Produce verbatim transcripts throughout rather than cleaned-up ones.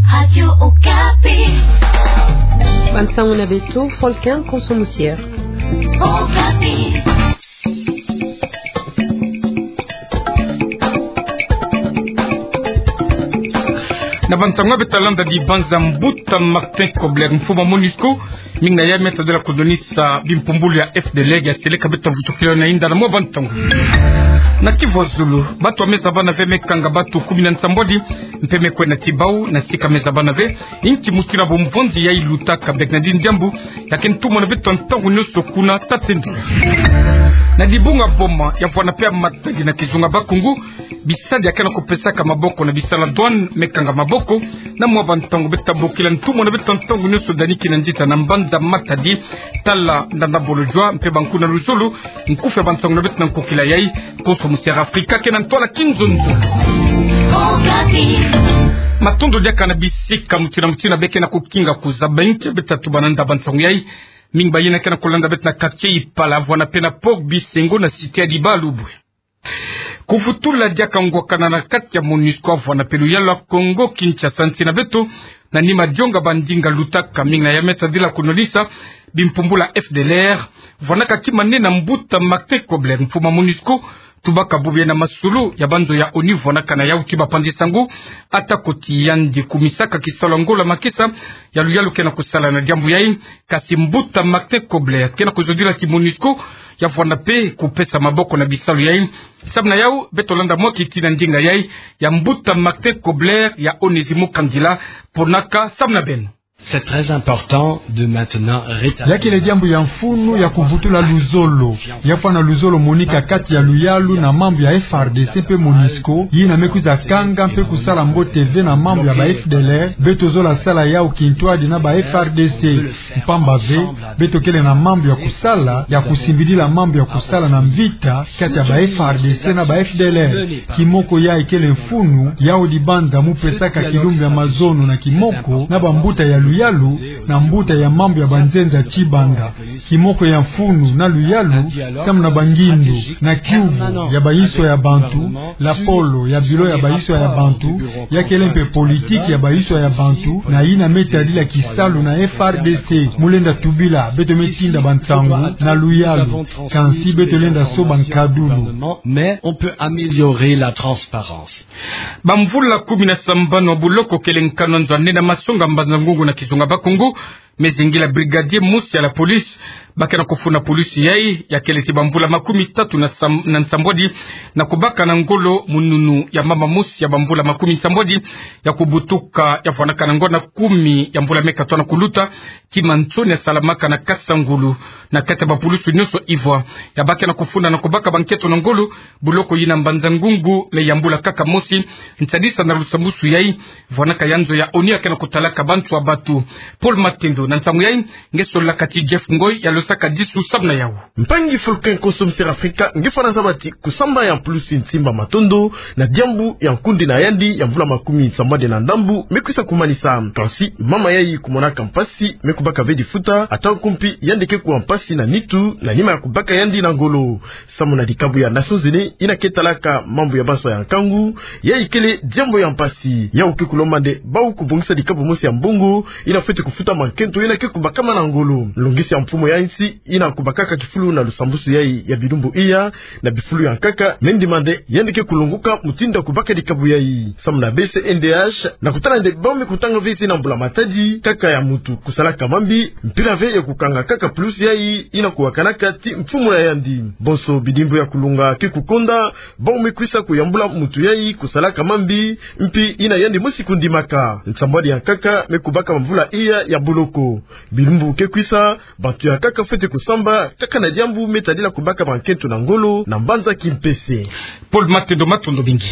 Radio Okapi. Bansango na beto, Folkin Konso Musier. Okapi. Na bansango ya beto landa, dibanza mbuta Martin Kobler, mfumu ya MONUSCO, mingi na yai me tadila kudonisa bimpumbulu ya F D L R, ya seleka beto vutukila na inda na mwa bansango. Na Kivu ya Zulu, bantu ya meza bana ve me kanga bantu kumi na nsambwadi, mpe me kwenda ti bau na sika meza bana ve, inki mutindu bumvonzi yayi lutaka. Bernardine Diambu, ya ke ntumona beto ntangu nyonso kuna, tatendula. Na dibunga Boma, ya vwanda mpe ya Matadi na kizunga Bakungu, bisadi ya ke na kupesaka maboko na bisala douane me kanga maboko. Na mwa bansango, beto bokila ntumona beto ntangu nyonso, dani kina nzita na mbanza Matadi, tala ndanda bolojwa mpe banku na luzolo. Nkufi ya bansango na beto na nkokila yayi, Konso Musier Afrika ke na ntwala kinzonzo. Matondo diaka na bisika mutindu na mutindu beke na kukinga kuzaba inki beto tatuba na nda bansango yayi. Mingi bayina ke na kulanda beto na quartier Ipala, vwanda mpe na Port Bisengo na cité ya Dibalubwe. Kuvutula diaka ngwakana na kati ya MONUSCO vwanda mpe luyalu ya Kongo Kinshasa nsi na beto, na nima dionga bandinga lutaka, mingi na yai me tadila kudonisa bimpumbulu ya F D L R, vwandaka kima nene mbuta Martin Kobler, mfumu ya MONUSCO, tubaka bubu ye na masolo ya banzo ya ONU vwandaka na yau ti bapanzi sango, ata ko ti yandi kumisaka kisalu ya ngolo ya makesa ya luyalu ke na kusala na diambu yayi. Kasi mbuta Martin Kobler ke na kuzodila ti MONUSCO ya vwanda mpe kupesa maboko na bisalu yayi. Samu na yau, beto landa mwa kiti na ndinga yayi ya mbuta Martin Kobler ya Onésimo Kandila, ponaka samu na beno. C'est très important de maintenant rétablir. Ya kele diambu ya mfunu ya kuvutula luzolo, ya fwana luzolo monika kati ya luyalu na mambu ya F R D C mpe MONUSCO, yina me kwiza kanga mpe kusala mbote ve na mambu ya ba F D L R, beto zola sala yau kintwadi na ba F R D C. Mpamba ve, beto kele na mambu ya kusala, ya kusimbidila mambu ya kusala na mvita kati ya ba F R D C na ba F D L R. Kimoko yayi kele mfunu, yau dibanza mu pesaka kilumbu ya mazono na kimoko na bambuta ya luyalu, na mbuta ya mambu ya banzenza tibanda. Kimoko ya mfunu na luyalu, samu na bangindu na kiuvu ya bayinswa ya bantu, lapolo ya bilo ya bayinswa ya bantu, ya kele mpe politiki ya bayinswa ya bantu, na yina me tadila kisalu na F R D C. Mu lenda tubila, beto me tinda bansango na luyalu, kansi beto lenda soba nkadulu. Mais on peut améliorer la transparence. Bamvula kumi na sambanu ya buloko kele nkanu ya nzo ya nene ya masonga mbanza-ngungu na kizunga Bakungu, me zingila brigadier mosi ya la police. Ba ke na kufuna police yayi, ya kele ti bamvula makumi tatu na sam-, na nsambwadi, na kubaka na ngolo mununu ya mama mosi ya bamvula makumi nsambwadi, ya kubutuka, ya fwanaka na ngo na kumi ya mvula me katoa na kuluta, kima nsoni ya salamaka na Kasangulu, na kati ya bapulusu nyonso ivwa. Ya ba ke na kufuna na kubaka banketo na ngolo, buloko yina mbanza-ngungu me yambula kaka mosi, nsadisa na lusambusu yayi, vwanaka ya nzo ya ONU ya ke na kutalaka bantu ya batu. Paul Matendo, na nsangu yayi, nge solaka ti Jeff Ngoy, ya losaka disu samu na yau. Mpangi Fulkin Konso Musier Afrika, nge fwana zaba ti kusamba ya mpulusi Nsimba Matondo, na diambu ya nkundi na yandi ya mvula makumi sambwadi na ndambu, me kwisa kumanisa. Kansi, mama yayi kumonaka mpasi, me kubaka ve difuta, ata nkumpi yandi ke kuwa mpasi na nitu, na nima ya kubaka yandi na ngolo. Samu na dikabu ya Nations Unies, yina ke talaka mambu ya banswa ya nkangu, yayi kele diambu ya mpasi. Yau ke kulomba nde bau kubongisa dikabu mosi ya mbongo, yina fwete kufuta mankento yina ke kubakama na ngolo. Longisi ya mfumu ya nsi, yina kubakaka kifulu na lusambusu yayi ya bilumbu iya, na bifulu ya nkaka, me ndima nde yandi ke kulongoka mutindu ya kubaka dikabu yayi. Samu na B C N D H, na kutala nde bau me kutanga ve zina mbula-matadi kaka ya muntu kusalaka mambi, mpila ve ya kukanga kaka pulusi yayi yina kuwakanaka ti mfumu na yandi. Bonso bidimbu ya kulonga ke kukonda, bau me kwisa kuyambula muntu yayi kusalaka mambi, mpi yina yandi mosi kundimaka. Nsambwadi ya nkaka me kubaka mvula iya ya boloko. Bilumbu ke kwisa, bantu ya nkaka fwete kusamba kaka na diambu me tadila kubaka bankento na ngolo na mbanza kimpese. Paul Matendo, matondo mingi.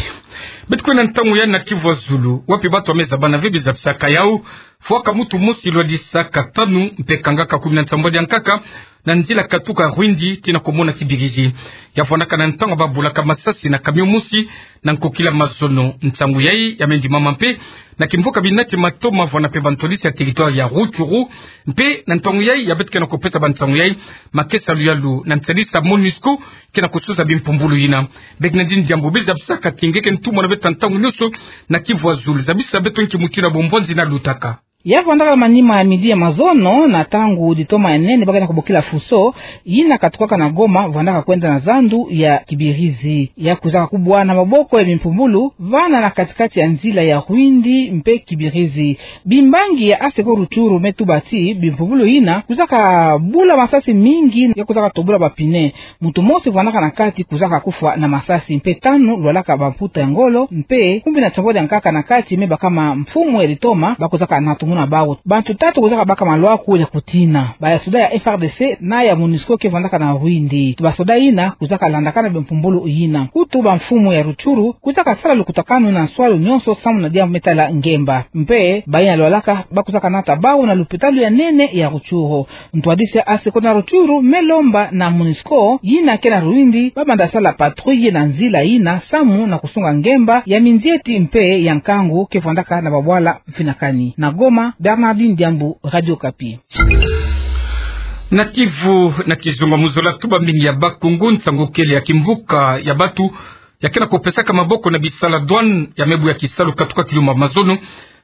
Beto kwenda ntangu ya na Kivu ya Zulu, wapi bantu ya meza bana ve bizapisaka yau. fwaka mutu mosi lwadisaka tanu mpe kangaka kumi na nsambwadi ya nkaka na nzila katuka Rwindi tii na komona kibirizi. Ya vwandaka na ntangu babulaka masasi na camion mosi na nkokila mazono. Nsangu yayi ya me ndimama mpe na kimvuka binati Matoma, vwanda mpe bantwadisi ya territoire ya Rutshuru. Mpe na ntangu yayi ya beto ke na kopesa bansangu yayi, makesa luyalu na nsalisi ya MONUSCO ke na kosuza bimpumbulu yina. Bernardine Diambu, beri zabisaka ti nge ke ntumwa na beto ntangu nyonso na Kivu Azul, zabisa beto nki mutindu ya bombwanzi yina lutaka. Ya vwandaka na manima ya midi ya mazono, na ntangu ditoma ya nene ba ke na kobokila fuso yina katukaka na Goma, vwandaka kwenda na zandu ya kibirizi. Ya kwizaka kubwa na maboko ya bimpumbulu vana na kati-kati ya nzila ya Rwindi mpe kibirizi. Bimbangi ya ASECO Rutshuru me tuba ti bimpumbulu yina kwizaka bula masasi mingi, ya kwizaka tobula ba pneu. Mutu mosi vwandaka na kati kwizaka kufwa na masasi, mpe tanu lwalaka bamputa ya ngolo, mpe kumi na nsambwadi ya nkaka na kati me baka mfumu ya ditoma ba kwizaka natumuna bawu. Bantu tatu kwizaka baka malwaku ya kutina. Basoda ya FARDC na ya MONUSCO ke vwandaka na Rwindi. Basoda yina kwizaka landakana bimpumbulu yina. Nkutu bamfumu ya Rutshuru kwizaka sala lukutakanu na nswalu nyonso samu na diambu me tala ngemba. Mpe bayina lwalaka ba kwizaka nata bawu na lupitalu ya nene ya Rutshuru. Ntwadisi ya ASECO na Rutshuru me lomba na MONUSCO yina ke na Rwindi ba banda sala patrouille na nzila yina samu na kusunga ngemba ya minzieti mpe ya nkangu ke vwandaka na babwala mfinakani. Na Goma, Bernardine Diambu, Radio Okapi. Na Kivu, na kizunga mu zola tuba mingi ya Bas-Congo, nsangu kele ya kimvuka ya bantu ya ke na kopesaka maboko na bisala douane ya me buya kisalu katuka kilumbu ya mazono.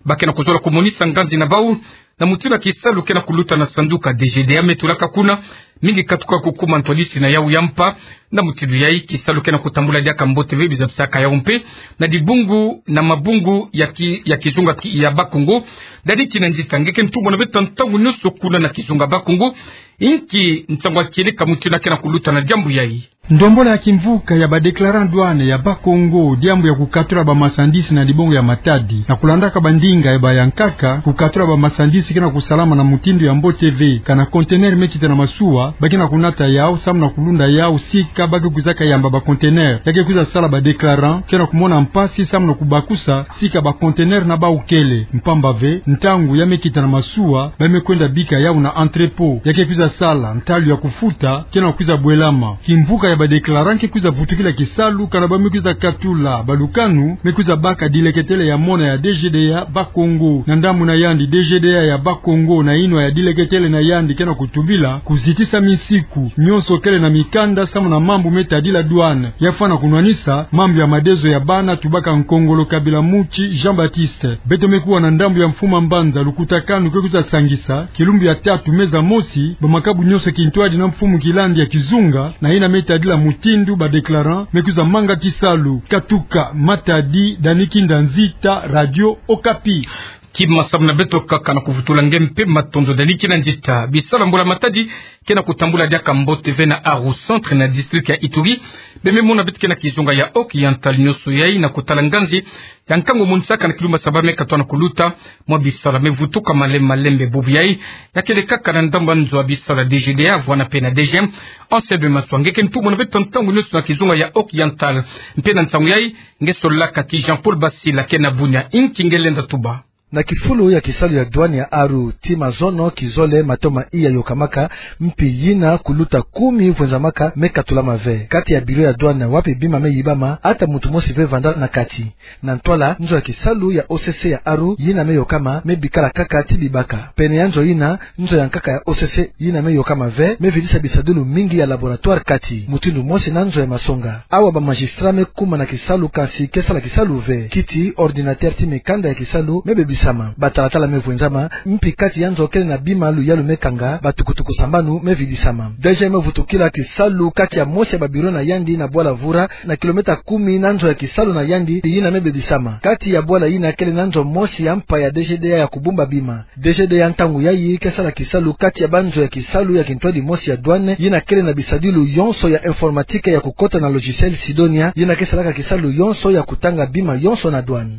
Ba ke na kuzola kumonisa nganzi na bawu na mutindu ya kisalu ke na kuluta na sanduka. DGDA me tulaka kuna, mingi katuka kukuma ntwadisi na yawu ya mpa. Na mutindu yayi, kisalu ke na kutambula diaka mbote ve. Beri zabisaka yawu mpe na dibungu na mabungu ya ki-, ya kizunga ki-, ya Bas-Congo. Dadi Kinanzita, nge ke ntumwa na beto ntangu nyonso kuna na kizunga Bas-Congo, inki nsangu ya kieleka mutindu ya ke na kuluta na diambu yayi? Ndombolo ya kimvuka ya ba déclarant douane ya Bas-Congo, diambu ya kukatula ba marchandise na dibungu ya Matadi, na kulandaka bandinga ya bayankaka, kukatula ba marchandise ke na kusalama na mutindu ya mbote ve. Kana conteneur me kita na masuwa, ba ke na kunata yawu samu na kulunda yawu sika ba ke kwizaka yamba ba conteneur. Ya ke kwiza sala ba déclarant ke na kumona mpasi samu na kubakusa sika ba conteneur na bawu kele. Mpamba ve, ntangu ya me kita na masuwa, ba me kwenda bika yawu na entrepôt. Ya ke kwiza sala, ntalu ya kufuta ke na kwiza bwelama. Kimvuka ya ba déclarant ke kwiza vutukila kisalu kana ba me kwiza katula balukanu me kwiza baka dileketele ya mona ya DGDA Bas-Congo. Na ndambu na yandi, DGDA ya Bas-Congo na yinwa ya dileketele na yandi ke na kutubila kuzitisa minsiku nyonso kele na mikanda samu na mambu me tadila douane. Ya fwana kunwanisa mambu ya madezo ya bana, tubaka Nkongolo Kabila Mutshi Jean-Baptiste. Beto me kuwa na ndambu ya mfumu a mbanza, lukutakanu ke kwiza sangisa kilumbu ya tatu mezi ya mosi, ba makabu nyonso kintwadi na mfumu kilandi ya kizunga na yina me tadila mutindu ba déclarant me kwiza manga kisalu. Katuka Matadi, Dani Kinanzita, Radio Okapi. Kima samu na beto kaka na kuvutula nge mpe matondo, Dani Kinanzita. Bisala mbula-matadi ke na kutambula diaka mbote ve na Aru Centre na district ya Ituri. Be me mona beto ke na kizunga ya Haut-Oriental nyonso yayi na kutala nganzi ya nkangu monisaka na kilumbu ya saba me katuka na kuluta. Mwa bisala me vutuka malembe malembe. Bubu yayi ya kele kaka na ndambu ya nzo ya bisala DGDA, vwana mpe na DGM. Anselme Maswa, nge ke ntumwa na beto ntangu nyonso na kizunga ya Haut-Oriental. Mpe na nsangu yayi, nge solaka ti Jean-Paul Basila ke na Bunia. Inki nge lenda tuba? Na kifulu ya kisalu ya douane ya Aru, tii mazono kizole matoma iya yokamaka, mpi yina kuluta kumi vwenzamaka me katulama ve. Kati ya bureau ya douane wapi bima me yibama, ata muntu mosi ve vanda na kati. Na ntwala, nzo ya kisalu ya O C C ya Aru yina me yokama me bikala kaka ti bibaka. Pene ya nzo yina, nzo ya nkaka ya O C C yina me yokama ve me vidisa bisadilu mingi ya laboratoire kati, mutindu mosi na nzo ya masonga. Awa ba magistrat me kuma na kisalu, kansi ke sala kisalu ve. Kiti ordinateur ti mikanda ya kisalu me bebisama. Batalatala me vwenzama, mpi kati ya nzo kele na bima luyalu me kanga, batukutuku sambanu me vidisama. DGM me vutukila kisalu kati ya mosi ya ba bureau na yandi na bwala Vura, na kilomètre kumi na nzo ya kisalu na yandi yina me bebisama. Kati ya bwala yina kele na nzo mosi ya mpa ya DGDA ya kubumba bima. DGDA ya ntangu yayi ke sala kisalu kati ya banzo ya kisalu ya kintwadi mosi ya douane, yina kele na bisadilu yonso ya informatique ya kukota na logiciel Sidonia, yina ke salaka kisalu yonso ya kutanga bima yonso na douane.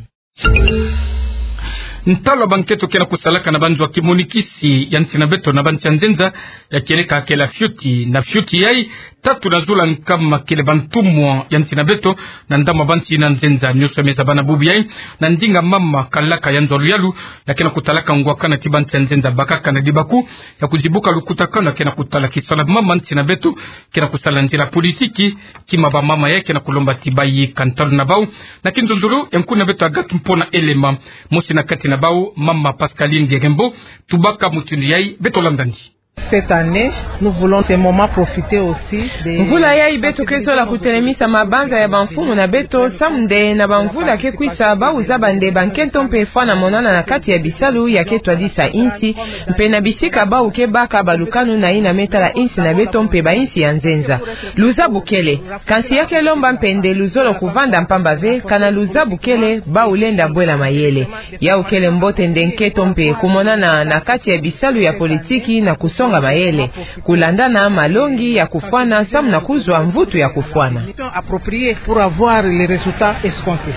Ntalu ya bankento ke na kusalaka na banzo ya kimonikisi ya nsi na beto na bansi ya nzenza, ya kieleka kele fioti. Na fioti yayi, tatu na zula nkama kele bantumwa ya nsi na beto, na ndamwa bansi na nzenza nyonso me zaba na bubu yayi, na ndinga mama kalaka ya nzo luyalu, ya ke na kutalaka ngwakana ti bansi ya nzenza bakaka na dibaku, ya kuzibuka lukutakanu ya ke na kutala kisala mama nsi na beto, ke na kusala nzila politiki, kima bamama ya ke na kulomba ti bayika ntalu na bau, na kinzonzolo, ya nkuna beto Agathe Mpona Elema, mosi na kati na bau, mama Pascaline Gegembo, tubaka mutindu yayi, beto landandi. Cette année, nous voulons ce moment profiter aussi de... Mvula yayi beto ke zola kutelemisa mabanza ya bamfumu na beto, samu nde na bamvula ke kwisa, bau zaba nde bankento mpe fwana monana na kati ya bisalu ya ke twadisa insi, mpe na bisika bau ke baka balukanu na yina me tala insi na beto mpe bainsi ya nzenza. Luzabukele, kansi ya ke lomba mpe nde luzolo kuvanda mpamba ve, kana luzabukele, bau lenda bwela mayele. Yau kele mbote nde nkento mpe kumonana na kati ya bisalu ya politiki na kusonga mayele, kulandana malongi ya kufwana samu na kuzwa mvutu ya kufwana. Approprié pour avoir les résultats escomptés.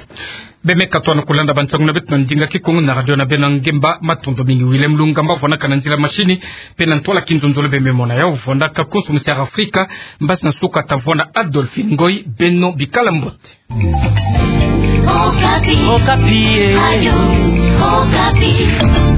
Bemeka twana kulanda bansangu na beto na ndinga Kikongo na radio na beno ngemba, matondo mingi. Willem Lungamba vwanaka na nzila machine, mpe na ntwala kinzonzolo bememona yau vwandaka konso musiara Afrika, mbasi na suka ta vwanda Adolphine Ngoy, beno bikala mbote. Okapi. Okapi, eh. Radio Okapi.